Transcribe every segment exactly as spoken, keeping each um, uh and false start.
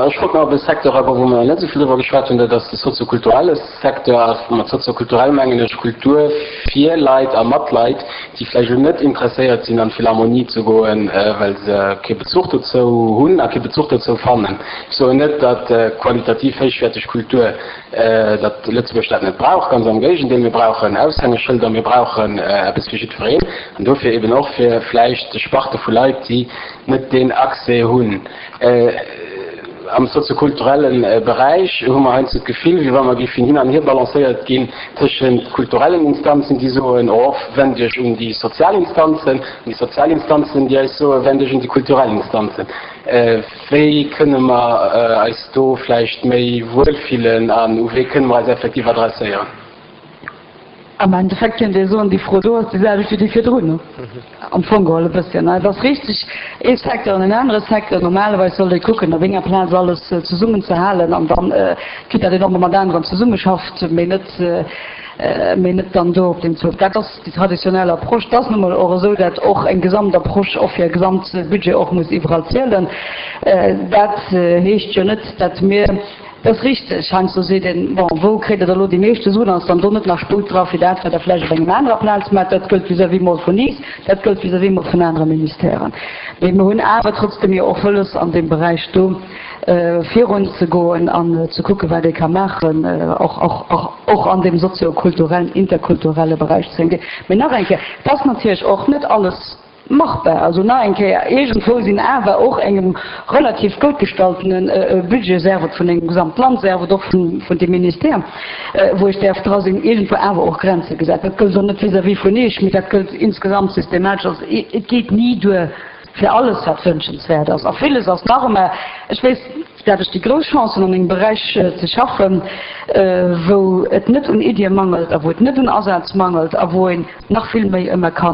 Ech wollt nach op e Secteur agoen, wou mer nach net esou vill driwwer geschwat hunn, dat ass de soziokulturelle Secteur. A mat soziokulturell mengen ech Kultur fir Leit a mat Leit, déi vläicht elo net interesséiert sinn, an d'Philharmonie ze goen, well se kee Bezuch dozou hunn a kee Bezuch dozou fannen. Ech soen net, datt qualitativ héichwäerteg Kultur, datt Lëtzebuerg dat net brauch, ganz am Géigendeel, mir brauchen Aushängeschëlder, mir brauchen eppes fir jiddwereen an dofir eben och fir vläicht Sparte vu Leit, déi net deen Accès hunn. Am soziokulturelle Beräich hu mer heiansdo d'Gefill, wéi wa mer géifen hin an hier balancéiert ginn tëschent kulturellen Instanzen, déi soen, oh, wend Iech un déi sozial Instanzen, an déi sozial Instanzen, déi eis soen, wend Iech un déi kulturell Instanzen. Wéi kënne mer eis do vläicht méi wuelfillen an u wee kënne mer eis effektiv adresséieren? Am Endeffekt kéint ee soen, déi Fro do ass déi selwecht wéi déi virdrun, am Fong geholl e bësschen. Et ass richteg, ee Secteur an en anere Secteur, normalerweis sollt ee kucken, op enger Plaz alles zesummen ze halen an dann, quitte datt een och emol mat aneren zesummeschafft, mee net, mee net dann do op deem Zuch. Dat ass déi traditionell Approche. Et ass nu mol och esou, datt och eng Gesamtapproche och fir e Gesamtbudget och muss iwwerall zielen. Dat heescht jo net, datt mir, dat ass richteg, heiansdo seet een, bon, wou kréit Der da elo déi meeschte Suen, ass dann do net nach Sputt dra fir dat, wat Der vläicht op engem anerer Plaz maacht. Dat gëllt vis-à-vis mol vun iis, dat gëllt vis-à-vis mol vun anere Ministèren. Mee mir hunn awer trotzdem jo och wëlles an deem Beräich do virun ze goen an ze kucken, wat ee ka maachen, och, och, och, och an deem soziokulturellen, interkulturelle Beräich ze ginn. Mee nach eng Kéier, et ass natierlech och net alles machbar. Also nach eng Kéier, iergendwou sinn awer och engem relativ gutt gestaltene Budget, sief et vun engem Gesamtland, sief et och vun, vun dem Ministère, wou ech däerf dra sinn, iergendwou awer och Grenze gesat. Dat gëllt och net vis-à-vis vun Iech, mee dat gëllt insgesamt systematesch. Also et geet ni duer fir alles, wat wünschenswäert ass. A villes ass nach ëmmer, ech weess, dat ech déi grouss Chance hunn, an engem Beräich ze schaffen, wou et net un Iddie mangelt a wou et net un Asaz mangelt a wou een nach vill méi ëmmer ka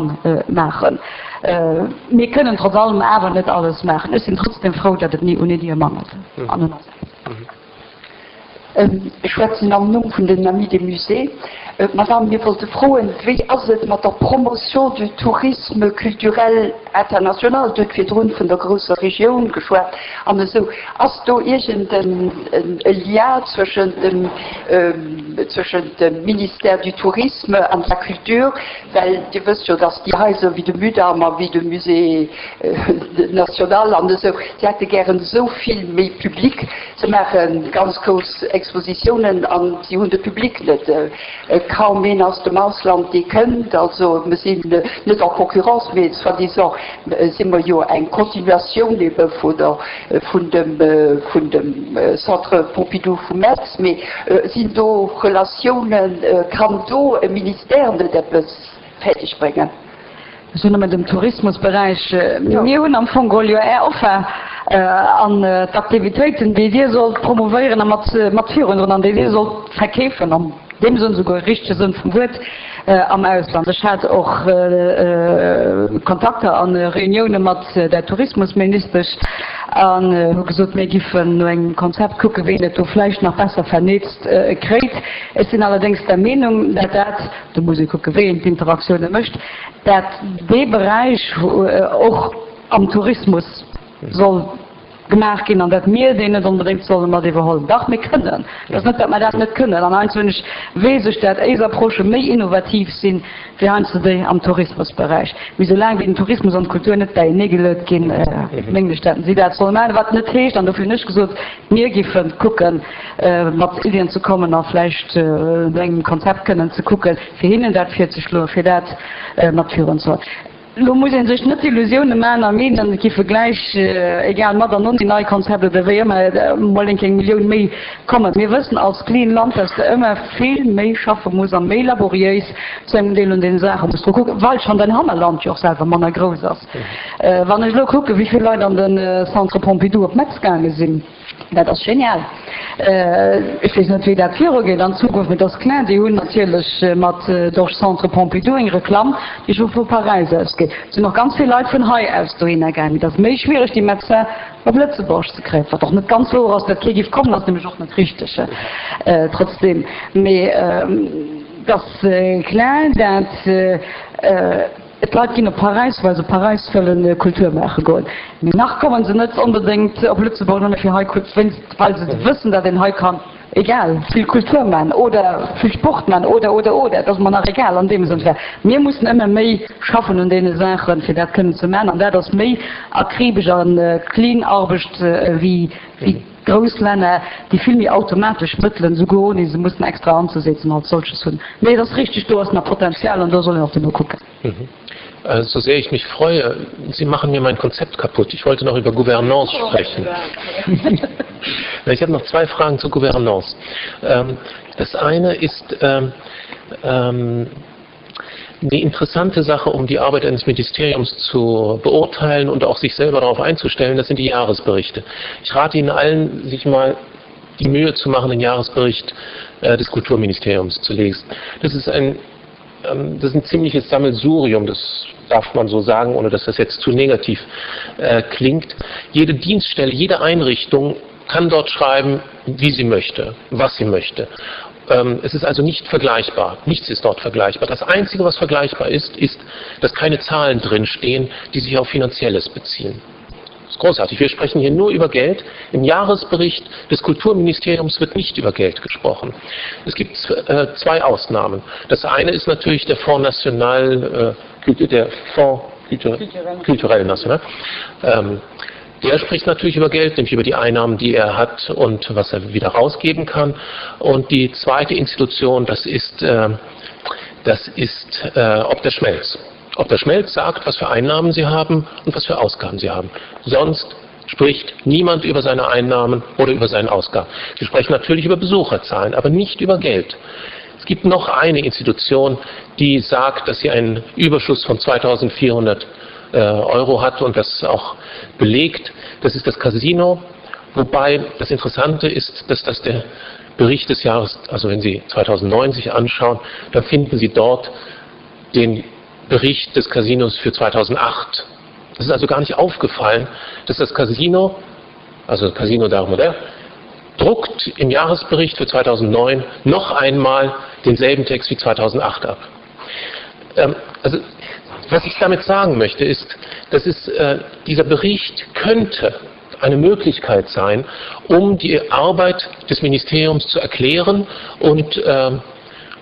maachen. Mir kënnen trotz allem awer net alles maachen. Ech sinn trotzdem frou, datt et ni un Iddie mangelt an un Asaz. Ech schwätzen am Numm vun den Amis des Musées. Madame, mir wollte froen, wéi ass et mat der Promotion du tourisme culturel international? Dir hutt virdrun vun der grousser Regioun geschwat an esou. Ass do iergend e Lien zwëschent dem, zwëschent dem Ministère du Tourisme an de la Culture? Well Dir wësst jo, dass déi Haiser wéi de Mudam a wéi de Musée national an esou, déi hätte gären esou vill méi Public. Se maache ganz grouss Expositiounen an si hunn de Public net. Kaum een aus dem Ausland, dee kënnt. Also mir sinn net en concurrence, mee soi-disant si mer jo eng Continuatioun ebe vun der, vun dem, vun dem Centre Pompidou vu Metz. Mee sinn do Relatiounen? Kann do e Ministère net eppes fäerdeg bréngen? Ech hunn nëmmen dem Tourismusberäich, mir hunn am Fong geholl jo Är Offer an d'Aktivitéiten, déi Dir sollt promouvéieren a mat mat virundroen an déi Dir sollt verkeefen, an deem Sënn, souguer richtege Sënn vum Wuert, am Ausland. Ech hat och Kontakter a Reunioune mat der Tourismusministesch an hu gesot, mir giffen no engem Konzept kucken, wéi een et do vläicht nach besser vernezt kréit. Ech sinn allerdéngs der Meenung, dat dat, do muss ee kucken, wéi een d'Interaktioune mécht, dat dee Beräich och am Tourismus soll gemaach ginn an dat mir deen net onbedéngt solle mat iwwerhollen. Dach, mir kënnen. Et ass net, dat mer dat net kënnen. An heiansdo hunn ech, weess ech, dat éis Approchë méi innovativ sinn, wéi heiansdo déi am Tourismusberäich. Mee soulaang wéi den Tourismus an d'Kultur net bäieneegeluet ginn, mengen ech, dat si dat solle maachen. Wat net heescht, an dofir hunn ech gesot, mir giffe kucken, mat Iddien ze kommen a vläicht no engem Konzept kënnen ze kucken, fir hinnen dat virzeschloen, fir dat mat virunzehuelen. Elo muss ee sech net d'Illusioune maachen a meenen, et giffe gläich, egal mat an ouni nei Konzept oder wéi ëmmer, emol eng kéng Millioun méi kommen. Mir wëssen als kleen Land, dass de ëmmer vill méi schaffe muss a méi laboriéis zu engem Deel un deene Saache muss dru kucken, well schonn däin Hannerland jo och selwer manner grouss ass. Wann ech elo kucken, wéi vill Leit an de Centre Pompidou op Metz gaange sinn, Dat ass genial. Ech weess net, wéi dat virugeet an Zukunft, mee et ass kloer, déi hunn natierlech mat Dorch Centre Pompidou eng Reklamm, déi scho vu Paräis aus geet. Et sinn och ganz vill Leit vun hei aus dohinner gaangen. Et ass méi schwiereg, déi Médecin op Lëtzebuerg ze kréien, wat och net ganz wouer ass, dat kee géif kommen, ass nämlech och net richteg trotzdem. Mee et ass kloer, dat. D'Leit ginn op Paräis, well se Paräis wëllen Kultur maache goen. Mee nach kommen se net onbedéngt op Lëtzebuerg nëmme fir hei wéinst well se wëssen, datt een hei kann, egal, vill Kultur man oder vill Sport man oder, oder, oder. Et ass mer nach egal an deem Sënn. Mir mussen ëmmer méi schaffen un deene Saachen, fir dat kënnen ze man. An dat ass méi akribesch a clean Arbecht wéi grouss Länner, déi vill méi automatesch Mëttelen, souguer ouni se mussen extra anzesetzen, als solches hunn. Mee et ass richtig, do ass nach Potenzial an do soll een och duerno kucken. So sehr ich mich freue, Sie machen mir mein Konzept kaputt. Ich wollte noch über Gouvernance sprechen. Ich habe noch zwei Fragen zur Gouvernance. Das eine ist ähm, die interessante Sache, um die Arbeit eines Ministeriums zu beurteilen und auch sich selber darauf einzustellen, das sind die Jahresberichte. Ich rate Ihnen allen, sich mal die Mühe zu machen, den Jahresbericht äh, des Kulturministeriums zu lesen. Das ist ein, ähm, das ist ein ziemliches Sammelsurium, das darf man so sagen, ohne dass das jetzt zu negativ äh, klingt. Jede Dienststelle, jede Einrichtung kann dort schreiben, wie sie möchte, was sie möchte. Ähm, es ist also nicht vergleichbar. Nichts ist dort vergleichbar. Das Einzige, was vergleichbar ist, ist, dass keine Zahlen drinstehen, die sich auf Finanzielles beziehen. Das ist großartig. Wir sprechen hier nur über Geld. Im Jahresbericht des Kulturministeriums wird nicht über Geld gesprochen. Es gibt äh, zwei Ausnahmen. Das eine ist natürlich der Fonds National, äh, der Fonds Culturel National. Ähm, der spricht natürlich über Geld, nämlich über die Einnahmen, die er hat und was er wieder rausgeben kann. Und die zweite Institution, das ist, äh, das ist äh, ob der Schmelz. Ob der Schmelz sagt, was für Einnahmen sie haben und was für Ausgaben sie haben. Sonst spricht niemand über seine Einnahmen oder über seine Ausgaben. Sie sprechen natürlich über Besucherzahlen, aber nicht über Geld. Es gibt noch eine Institution, die sagt, dass sie einen Überschuss von zweitausendvierhundert Euro hat und das auch belegt. Das ist das Casino, wobei das Interessante ist, dass das der Bericht des Jahres, also wenn Sie zweitausendneun sich anschauen, dann finden Sie dort den Bericht des Casinos für zweitausendacht. Das ist also gar nicht aufgefallen, dass das Casino, also Casino d'Art Moderne, druckt im Jahresbericht für zweitausendneun noch einmal denselben Text wie zweitausendacht ab. Ähm, also, was ich damit sagen möchte, ist, dass es, äh, dieser Bericht könnte eine Möglichkeit sein, um die Arbeit des Ministeriums zu erklären und, äh,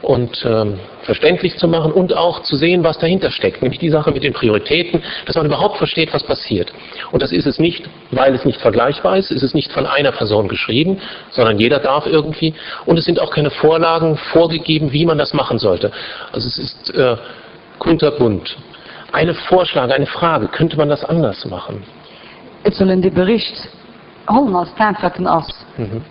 und, ähm, verständlich zu machen und auch zu sehen, was dahinter steckt, nämlich die Sache mit den Prioritäten, dass man überhaupt versteht, was passiert. Und das ist es nicht, weil es nicht vergleichbar ist, es ist nicht von einer Person geschrieben, sondern jeder darf irgendwie. Und es sind auch keine Vorlagen vorgegeben, wie man das machen sollte. Also es ist, äh, kunterbunt. Eine Vorschlag, eine Frage, könnte man das anders machen? Et soll een dee Bericht hollen als dat, wat en ass,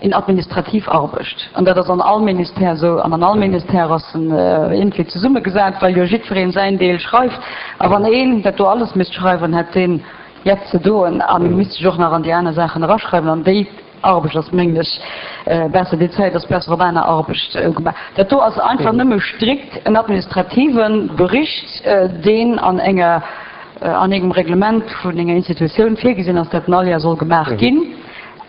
een administrativ Arbecht. An dat ass an all Ministère esou, an an all Ministère ass en iergendwéi zesummegesat, well jo jiddweree säin Deel schreift. A wann een dat do alles misst schreiwen, hätt deen jett ze doen a misst sech och nach an déi aner Saachen eraschreiwen. An déi Arbecht ass, mengen ech, besser, déi Zäit ass besser op aner Arbecht gemaach. Dat do ass einfach nëmme strikt en administrative Bericht, deen an enger, an engem Reglement vun enger Institutioun virgesinn ass, dat en all Joer soll gemaach ginn.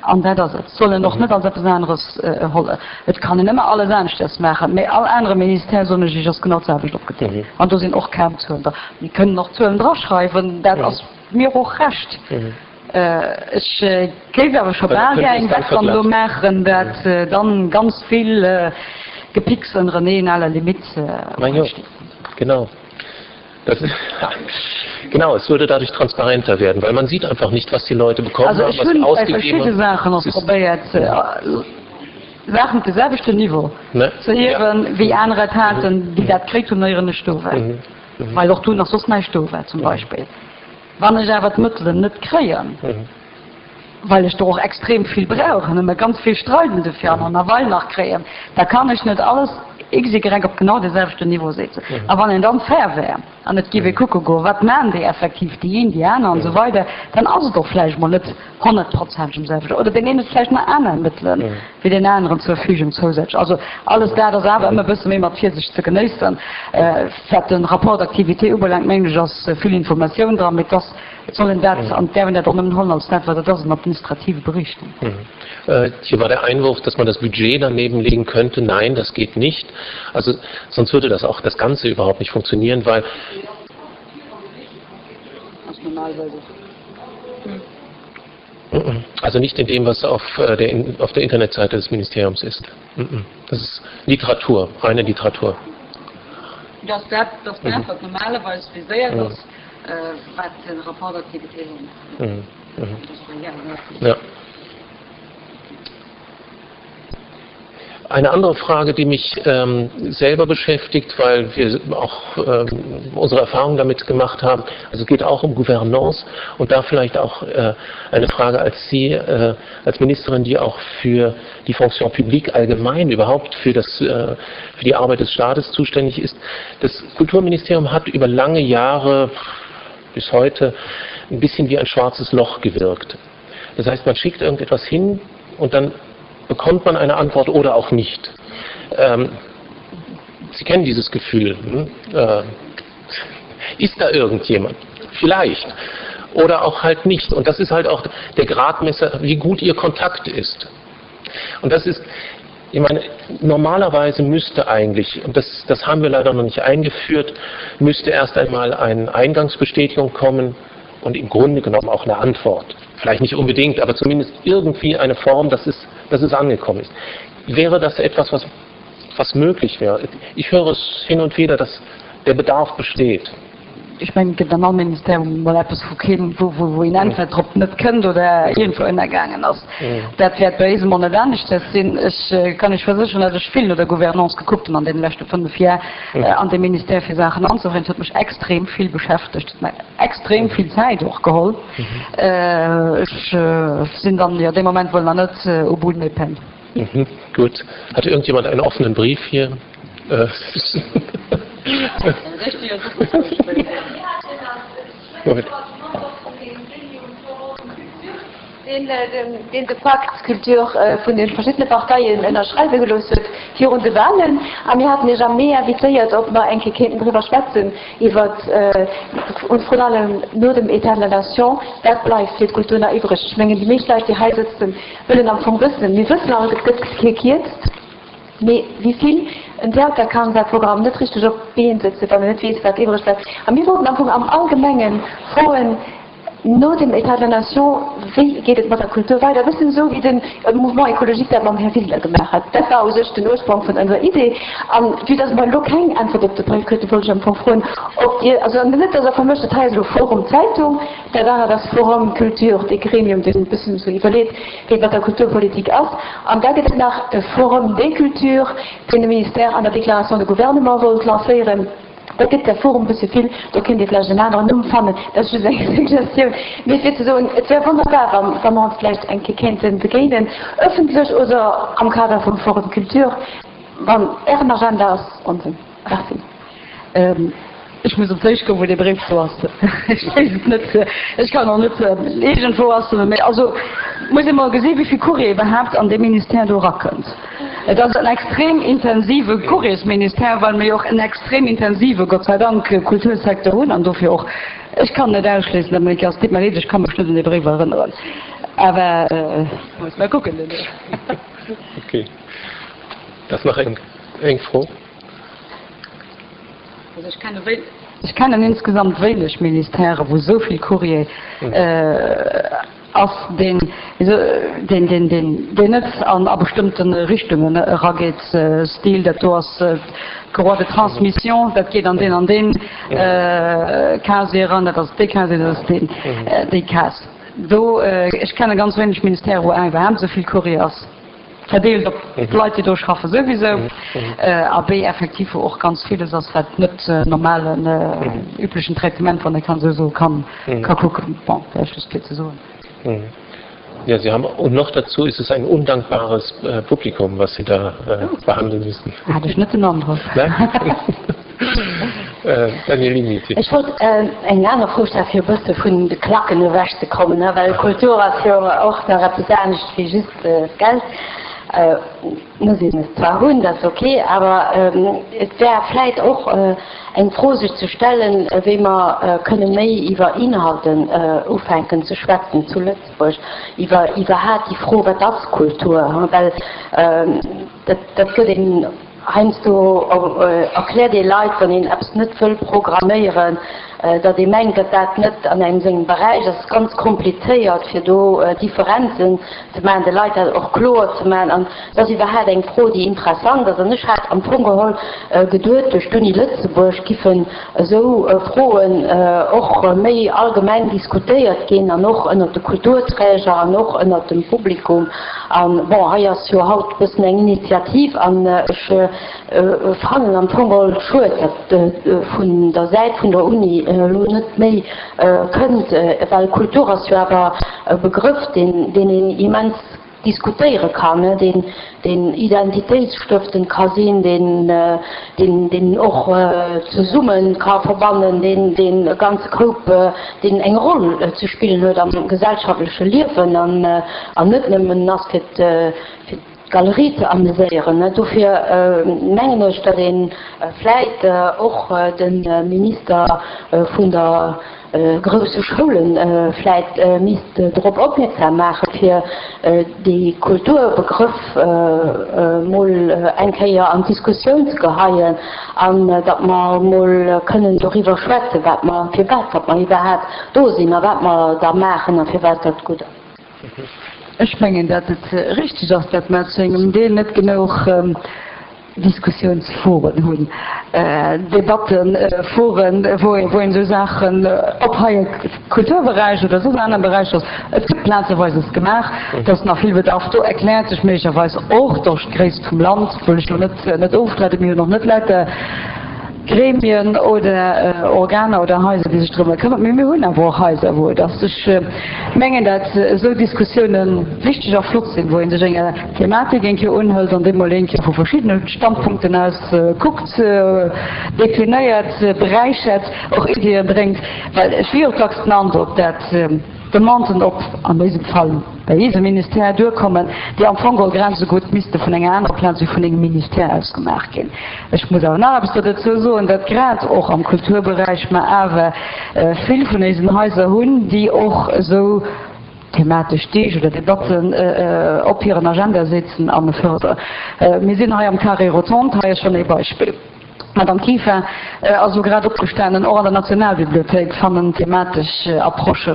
An dat ass et. Et soll en och net als eppes aneres hollen. Et kann een ëmmer alles aneschters maachen, mä all anere Ministère, soen ech Iech, ass genau d'selwecht opgedeelt. An do sinn och kaum Zuelen dran. Mir kënnen och Zuelen draschreiwen, dat ass mir och recht. Ech géif awer scho bal gär eng Wett dann elo maachen, dat dann ganz vill Gepicks ënnereneen à la limite steet. Genau. Das ist, genau, es würde dadurch transparenter werden, weil man sieht einfach nicht, was die Leute bekommen also haben, ech was sie hunn bei ausgegeben verschidde haben. Saachen och Es ist probéiert, Saachen op de selwechten Niveau Ne? ze hiewen, wéi aner et haten, déi dat kritt hunn, éier ech do war, well och do nach soss näischt do war zum Beispill. Wann ech awer d'Mëttelen net kréien, well ech der och extrem vill brauch an ëmmer ganz vill streiden dofir an an ewell nach kréien, da kann ech net alles xy op genau dee selwechten Niveau setzen. A wann een dann fair wär an et géif ee kucke goen, wat maachen déi effektiv, déi een, déi aner an esou weider, dann ass et och vläicht mol net honnertprozenteg um selwechten, oder deen een huet vläicht nach aner Mëttelen wéi deen aneren zur Verfügung zousätzlech. Also alles dat ass awer ëmmer e bësse méi mat Virsicht ze genéissen. Wat de Rapport d'activité ubelaangt, mengen ech, ass vill Informatioun dran, mee et ass, et soll een dat, an et däerf een dat och nëmmen huelen als dat, wat et ass, en administrative Bericht. Hier war der Einwurf, dass man das Budget daneben legen könnte. Nein, das geht nicht. Also sonst würde das auch das Ganze überhaupt nicht funktionieren, weil normalerweise. Also nicht in dem, was auf äh, der, auf der Internetseite des Ministeriums ist. Das ist Literatur, reine Literatur. Das dat, das dat, wat normalerweise viséiert ass, äh, wat den Rapport d'activité mhm. Mhm. Ja. Eine andere Frage, die mich ähm, selber beschäftigt, weil wir auch ähm, unsere Erfahrungen damit gemacht haben, also es geht auch um Gouvernance und da vielleicht auch äh, eine Frage als Sie, äh, als Ministerin, die auch für die Fonction publique allgemein überhaupt für, das, äh, für die Arbeit des Staates zuständig ist. Das Kulturministerium hat über lange Jahre bis heute ein bisschen wie ein schwarzes Loch gewirkt. Das heißt, man schickt irgendetwas hin und dann bekommt man eine Antwort oder auch nicht. Ähm, Sie kennen dieses Gefühl. Hm? Äh, ist da irgendjemand? Vielleicht. Oder auch halt nicht. Und das ist halt auch der Gradmesser, wie gut Ihr Kontakt ist. Und das ist, ich meine, normalerweise müsste eigentlich, und das, das haben wir leider noch nicht eingeführt, müsste erst einmal eine Eingangsbestätigung kommen und im Grunde genommen auch eine Antwort. Vielleicht nicht unbedingt, aber zumindest irgendwie eine Form, dass es, dass es angekommen ist. Wäre das etwas, was, was möglich wäre? Ich höre es hin und wieder, dass der Bedarf besteht. Ech mengen, et gëtt an all Ministerium mol eppes, wou keen, wou, wou, wou een Äntwert drop net kënnt oder iergendwou ënnergaangen ass. Dat wäert bei eisem och net aneschters sinn. Ech kann Iech versécheren, datt ech vill no der Gouvernance gekuckt hunn an deene leschte fënnef Jar an deem Ministère fir Saachen anzefroen. Et huet mech extrem vill beschäftegt, huet mer extrem vill Zäit och geholl. Ech sinn dann jo dee Moment wuel nach net au bout de mes peines. Gut. Hat irgendjemand einen offenen Brief hier? Deen de Pacte Culture vun de verschiddene Parteien ënnerschreiwe gelooss huet virun de Wahlen. A mir haten Iech am Mee invitéiert, ob mer eng Kéier kéinten driwwer schwätzen, iwwer, und vrun allem no dem État de la Nation, wat bleift fir d'Kultur nach iwwreg. Ech mengen, déi meescht Leit, déi hei sëtzen, wëllen am Fong wëssen, mir wëssen all, et gëtt kee Kierzt, mee wéi vill? En Theater kann säi Programm net richteg op d'Been sëtzen, wann en net weess, wat iwwreg bleift. A mir wollten am Fong am Allgemenge froen, no dem État de la Nation, wéi geet et mat der Kultur weider? E bëssen esou, wéi de Mouvement écologique dat mam Här Wiseler gemaach hat. Dat war u sech den Ursprong vun onser Idee. A vue dass mer elo keng Äntwert op de Bréif kruten, wollt ech am Fong froen, ob Dir, also net dass Der vermëscht, dat hei ass elo Forum Zeitung, dat anert ass Forum Culture, dee Gremium, deen e bëssen esou iwwerleet, wéi et mat der Kulturpolitik ass. An da gëtt et nach e Forum des Cultures, deen de Ministère an der Déclaration de gouvernement wollt lancéieren. Dat gëtt der Forum e bësse vill, do kéint ee vläicht en aneren Numm fannen, dat ass just eng Suggestioun. Mee fir ze soen, et wär wonnerbar, wa wa mer ons vläicht eng Kéier kéinte begéinen, ëffentlech oder am Kader vum Forum Culture, wann Ären Agenda ass, onsen. Merci. Ech muss op d'Séich goen, wou dee Bréif do ass. Ech weess et net. Ech kann och net, iergendwou ass e. Mee also muss ee mol gesinn, wéi vill Courrier iwwerhaapt an dee Ministère do erakënnt. Et ass en extrem intensive Courriersministère, well mir jo och en extrem intensive, Gott sei Dank, Kultursecteur hunn an dofir och, ech kann net ausschléissen, datt mer et ass. Deet mer leed, ech ka mech net un dee Bréif erënneren, awer muss mer kucken duerno. Okay. Da ass nach eng Fro. Also ech kenne wéi, ech kennen insgesamt wéineg Ministèrë wou esou vill Courrier ass, deen, deen, deen, deen, deen net an a bestëmmte Richtungen erageet. Stil, dat do ass d'Courroie de transmission, dat geet an deen an deen Casier eran, dat ass dee Casier, dat ass deen, déi Case do. Ech kenne ganz wéineg Ministèrë wou iwwerhaapt esou vill Courrier ass. Verdeelt op d'Leit, déi do schaffen, souwisou, a B, effektiv, wou och ganz villes ass, wat net normalen, üblechen Traitement, wann ee kann esou soen, kann ka kucken. Bon, vläicht just fir ze soen. Ja, Sie haben, und noch dazu ist es ein undankbares Publikum, was Sie da behandeln müssen. Hat ech net den Androck. Nein? Danièle Limiti. Ech wollt eng aner Fro stellen, fir e bësse vun de Klacken ewechzekommen, well Kultur ass jo och nach eppes anescht wéi just d'Geld. Muss een es zwar hunn, dat ass ok, awer et wär vläit och eng Fro sech ze stellen, wéi mer kënne méi iwwer Inhalten ufänken ze schwätzen zu Lëtzebuerg, iwwer iwwerhaat déi Fro, wat ass Kultur, well dat dat gëtt een Heiansdo erkläert ee Leit, wann een eppes net wëll programméieren, datt ee mengt, datt dat net an engem sengem Beräich ass. Et ass ganz komplizéiert, fir do Differenzen ze maachen, de Leit dat och kloer ze maachen. An et ass iwwerhaapt eng Fro, déi interessant ass. An ech hat am Fong geholl geduet, duerch d'Uni Lëtzebuerg giffen esou Froen och méi allgemeng diskutéiert ginn an och ënnert de Kulturträger an och ënnert dem Publikum. An, bon, hei ass jo haut e bëssen eng Initiativ an ech fannen am Fong geholl schued, datt vun der Säit vun der Uni elo net méi kënnt, well Kultur ass jo awer e Begrëff, deen een immens diskutéiere kann, deen identitéitsstëftend ka sinn, deen och zesumme ka verbannen, deen e ganze Koup, deen eng Roll ze spillen huet am gesellschaftleche Liewen an net nëmmen ass fir d'Galerie ze ameséieren. Dofir mengen ech, datt ee vläit och de Minister vun der grousse Schoule vläit misst drop opmierksam maache fir dee Kulturbegrëff mol eng Kéier an d'Diskussioun ze geheien an datt mer mol kënnen doriwwer schwätzen, wat mer, firwat datt mer iwwerhaapt do sinn a wat mer da maachen a firwat dat gutt ass. Ech mengen, datt et richteg ass, datt mer zu engem Deel net genouch Diskussiounsforen hunn, Debatteforen, wou een esou Saachen, ob hei e Kulturberäich oder soss aner Beräicher ass, et gëtt plazeweis es gemaach, et ass nach vill Bedarf do, erkläert sech méiglecherweis och duerch d'Gréisst vum Land, wëll ech elo net net ofstreiden, mir hunn och net lauter Gremien oder Organer oder Haiser, déi sech drëmmer këmmert, mee mir hunn awer och Haiser, wou et ass. Ech mengen, dat esou Diskussiounen wichteg a flott sinn, wou ee sech enger Thematik eng Kéier unhëlt an déi mol eng Kéier vu verschiddene Standpunkten aus kuckt, deklinéiert, beräichert, och Iddie bréngt. Well ech hu jo dacks den Androck, dat Demanden op, an dësem Fall bei eisem Ministère, duerkommen, déi am Fong geholl grad esou gutt misste vun enger anerer Plaz wéi vun engem Ministère aus gemaach ginn. Ech muss awer nach eppes do dozou soen, datt grad och am Kulturberäich mer awer vill vun eisen Haiser hunn, déi och esou thematesch Deeg oder Debatten op hiren Agenda setzen an fërderen. Mir sinn hei am Carré Rotonde, hei ass schonn ee Beispill. D'Madame Kieffer ass elo grad opgestanen, och an der Nationalbibliothéik fannen thematesch Approchë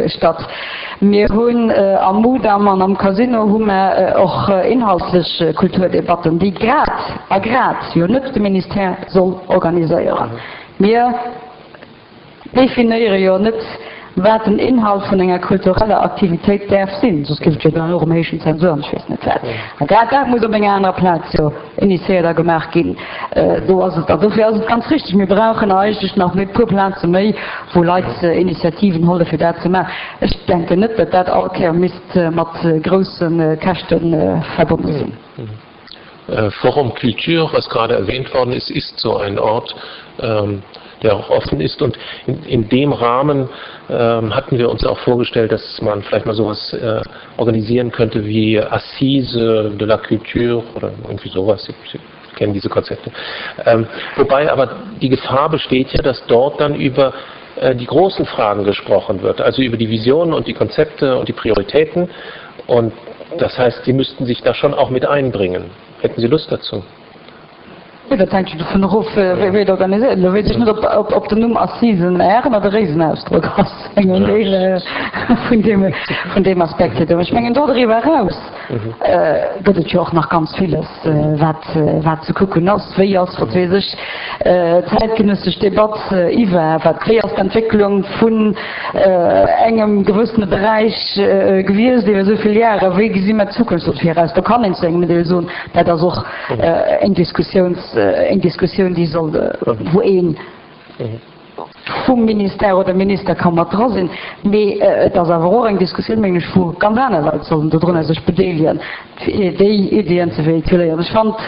statt. Mir hunn am Mudam an am Casino hu mer och inhaltlech Kulturdebatten, déi grad a grad jo net de Ministère soll organiséieren. Mir definéiere jo net, wat den Inhalt vun enger kultureller Aktivitéit däerf sinn, soss géif et jo dann och erëm heeschen Zensur an ech weess net wat. A grad dat muss op enger anerer Plaz jo initiéiert a gemaach ginn. Do ass et, an dofir ass et ganz richtig, mir brauchen eigentlech nach e puer Plaze méi, wou Leit Initiativen holle fir dat ze maachen. Ech denken net, datt dat all Kéier misst mat grousse Käschte verbonne sinn. Forum Culture, was gerade erwähnt worden ist, ist so ein Ort, der auch offen ist. Und in, in dem Rahmen ähm, hatten wir uns auch vorgestellt, dass man vielleicht mal sowas äh, organisieren könnte wie Assise de la Culture oder irgendwie sowas. Sie, Sie kennen diese Konzepte. Ähm, wobei aber die Gefahr besteht ja, dass dort dann über äh, die großen Fragen gesprochen wird, also über die Visionen und die Konzepte und die Prioritäten. Und das heißt, Sie müssten sich da schon auch mit einbringen. Hätten Sie Lust dazu? Jo, dat hänkt jo dovun erof, wéi et organiséiert. Elo weess ech net, ob, ob den Numm Assisen en Ären oder Réisenausdrock ass, engem Deel vun deem, vun deem Aspekt hier do. Ech mengen, do doriwwer eraus gëtt et jo och nach ganz villes, wat, wat ze kucken ass. Wéi ass, wat weess ech, d'zäitgenëssesch Debatt iwwer wat, wéi ass d'Entwécklung vun engem gewëssene Beräich gewiescht iwwer esou vill Jahre, wéi gesi mer d'Zukunft do viraus? Do kann een zu engem Deel soen, dat ass och eng Diskussiouns, eng Diskussioun, déi soll, wou ee vum Ministère oder Minister ka mat dra sinn. Mee et ass awer och eng Diskussioun, mengen ech, wou ganz aner Leit sollen dodrunner sech bedeelegen, fir déi Iddien ze véhiculéieren. Ech fand,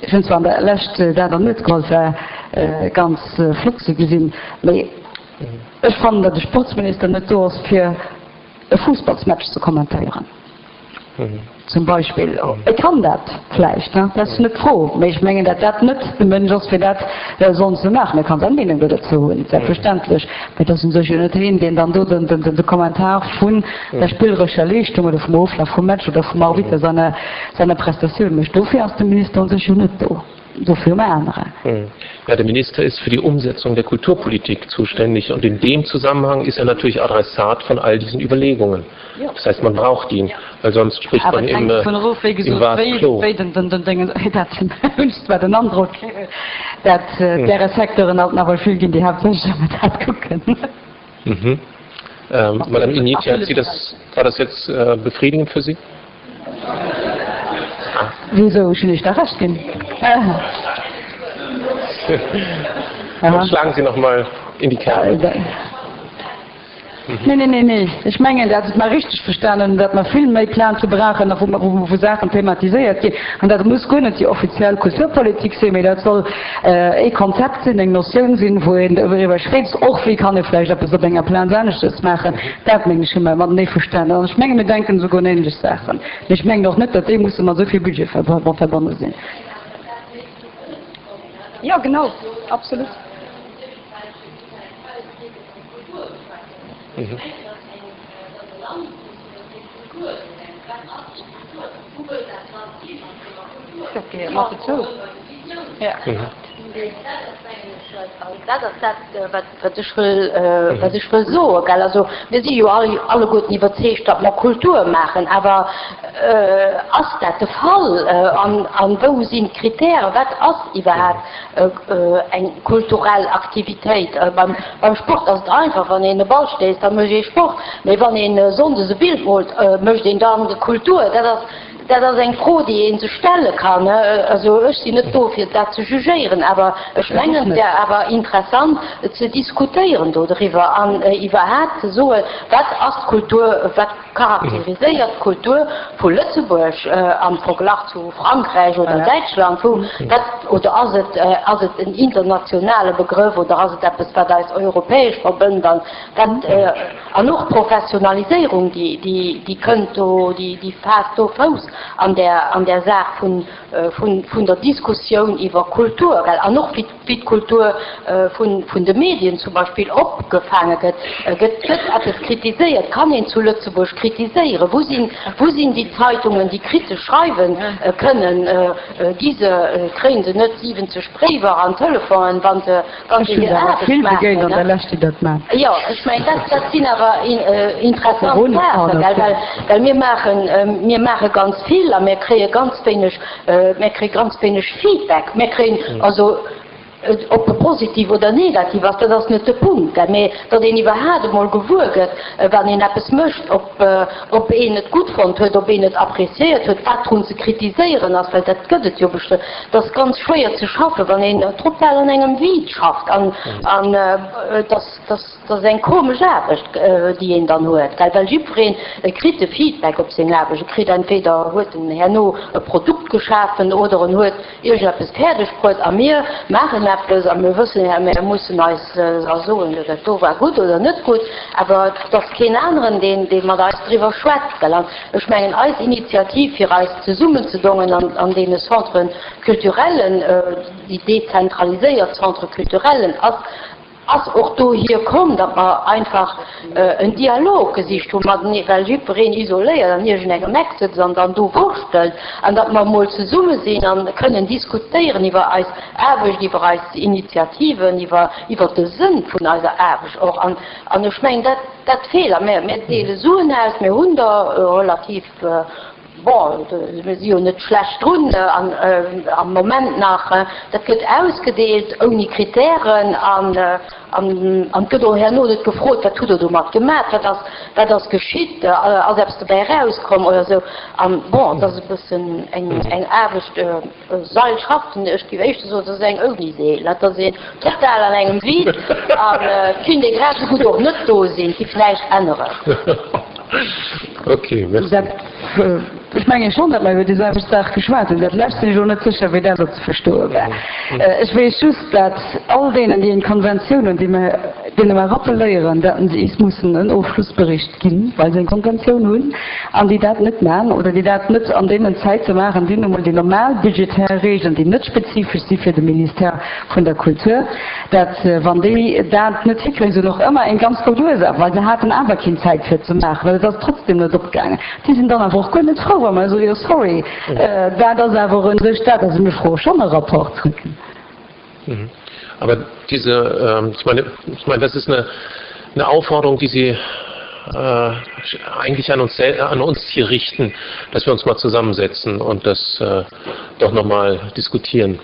ech hunn zwar an der Lescht dat an Uecht geholl, et war ganz flott ze gesinn, mee ech fannen, datt de Sportsminister net do ass, fir e Fussballsmatch ze kommentéieren. Zum Beispill. E kann dat vläicht, dat ass net d'Fro, mee ech mengen, datt dat net de Mënsch ass, fir dat sollen ze maachen. E kann seng Meenung do dozou hunn, selbstverständlech, mee et ass u sech jo net hien, deen dann do de Kommentar vun der spillerescher Leeschtung oder vum Oflaf vum Match oder vum Arbitter seiner Prestatioun mécht. Dofir ass de Minister u sech jo net do. dofir um aneren. Ja, der Minister ist für die Umsetzung der Kulturpolitik zuständig und in dem Zusammenhang ist er natürlich Adressat von all diesen Überlegungen. Ja. Das heißt, man braucht ihn, weil sonst spricht Awer man et im, hänkt dovun erof, wéi im gesot, Vase wéi, clos. wéi den, den, den Déngen, dat hunn ech zwar den Androck, dat däre Secteuren alt nawell vill ginn, déi haaptsächlech awer dat kucken. Mhm. Ähm, Madame Initia, hat Sie das, war das jetzt äh, befriedigend für Sie? Ah. Wieso, ech hunn Iech da Recht ginn. Dann schlagen Sie noch mal in die Kerbe. Nee, nee, nee, nee. Ech mengen, dat et mer richteg verstanen hunn, datt mer vill méi Plaze brauchen a wou, wou Saachen thematiséiert ginn. An dat muss guer net déi offiziell Kulturpolitik sinn, mee dat soll ee Konzept sinn, eng Notioun sinn, wou een doriwwer schwätzt, och wéi kann ee vläicht eppes op enger Plaz aneschtes maachen. Dat, mengen ech, hu mer matenee verstanen. An ech menge mir denken esouguer un ähnlech Saachen. Mee ech mengen och net, datt déi musse mat esou vill Budget verbonne sinn. Jo, genau, absolut. Dat gehéiert mat dozou. Dat ass dat, wat ech wëll, wat ech wëll soen, gell. Also mir si jo all, alleguerten iwwerzeegt, datt mer Kultur maachen. Awer ass dat de Fall? An, an wou sinn d'Kritären? Wat ass iwwerhaapt eng kulturell Aktivitéit? Beim, beim Sport ass et einfach, wann een e Ball stéisst, da mécht ee Sport. Mee wann een sonndes e Bild moolt, mécht een dann Kultur? Dat ass, Dat ass eng Fro, déi ee sech stelle kann. Also ech sinn net do, fir dat ze jugéieren, awer ech mengen, et wär awer interessant ze diskutéieren dodriwwer an iwwerhaapt ze soen, Wat ass d'Kultur, wat charakteriséiert d'Kultur vu Lëtzebuerg am Verglach zu Frankräich oder Däitschland? Wou, wat, oder ass et, ass et en internationale Begrëff oder ass et eppes, wat eis europäesch verbënnt? An dat, an och d'Professionaliséierung, déi, déi, déi kënnt do, déi, déi faasst do Fouss an där, an där Saach vun, vun, vun der Diskussioun iwwer Kultur, well, an och wéi, wéi d'Kultur vun, vun de Medien zum Beispill opgefaange gëtt. Gëtt, gëtt eppes kritiséiert? Kann een zu Lëtzebuerg kritiséieren? Wou sinn, wou sinn déi Zeitungen, déi kritesch schreiwen kënnen? Gi se, kréie se net siwwenzeg Bréiwer an Telefonen, wa se, Wann Ech hunn der awer vill begéint an der Lescht, déi dat maachen. Jo, ech mengen, dat, dat sinn awer interessant Saachen, well, well, well mir maachen, mir maache ganz vill a mir kréie ganz wéineg, mir kréie ganz wéineg Feedback. Mir kréien also, ob e positiv oder negativ ass, dat ass net de Punkt, gell, mä datt een iwwerhaapt emol gewuer gëtt, wann een eppes mécht, ob, ob een et gutt fonnt huet, ob een et appréciéiert huet, wat drun ze kritiséieren ass, well dat gëtt et jo bestëmmt. Et ass ganz schwéier ze schaffen, wann een total an engem Vide schafft an et ass eng komesch Aarbecht, déi een dann huet, gell, well jiddwereen kritt e Feedback op seng Aarbecht. E kritt entweder huet en herno e Produkt geschafen oder en huet iergendeppes fäerdeg bruet a mir maachen eppes a mir wëssen, jo, mir mussen eis da soen, jo, dat do war gutt oder net gutt, awer et ass keen aneren, deen dee mat eis driwwer schwätzt, gell. An ech mengen, eis Initiativ, fir eis zesummenzedongen an deene Centres culturellen, déi dezentraliséiert Centres culturellen, ass ass och dohier komm, datt mer einfach en Dialog gesicht hu matenee, well jiddwereen isoléiert an iergendengem Eck sëtzt an dann do wurschtelt, an datt mer emol zesumme sinn a kënnen diskutéieren iwwer eis Aarbecht, iwwer eis Initiativen, iwwer iwwer de Sënn vun eiser Aarbecht och. An an ech mengen, dat dat feelt. A mir mir deele Suen aus, mir hunn der relativ Bon, mir si jo net schlecht drun am Moment nach. Dat gëtt ausgedeelt ouni Kritären an et gëtt och herno net gefrot, wat hutt Der domat gemaach, wat ass, wat ass geschitt, ass eppes dobäi erauskomm oder esou. An bon, et ass e bëssen eng Aarbecht, Seilschaften, ech géif éischter soen, et ass eng ouni Seel. Et ass een total an engem Vide an et kéint ee grad esou gutt och net do sinn, et géif näischt änneren. Ok, merci. Ech mengen schonn, datt mer iwwer déi selwecht Saach geschwat hunn. Dat lescht sinn ech elo net sécher, wéi dat elo ze verstoe war. Ech weess just, datt all deenen, déi eng Konventioun hunn, déi mer deene mer rappeléieren, datt se is mussen en Ofschlussbericht ginn, well se eng Konventioun hunn, an déi dat net maachen oder déi dat net an deenen Zäite maachen, déi nu mol déi normal budgetär Regeln, déi net spezifesch si fir de Ministère vun der Kultur, dat wann déi dat net hikréien, se hunn och ëmmer eng ganz gutt Ursaach, well se haten awer keng Zäit fir et ze maachen, well et ass trotzdem net opgaangen. Déi sinn dann awer och guer net frou, wa mer soen, jo sorry, dat ass awer u sech dat, also mir froe schonn e Rapport zrëck. Mhm. Aber diese, ähm, ich meine, ich meine, das ist eine, eine Aufforderung, die Sie äh, eigentlich an uns, an uns hier richten, dass wir uns mal zusammensetzen und das äh, doch noch mal diskutieren.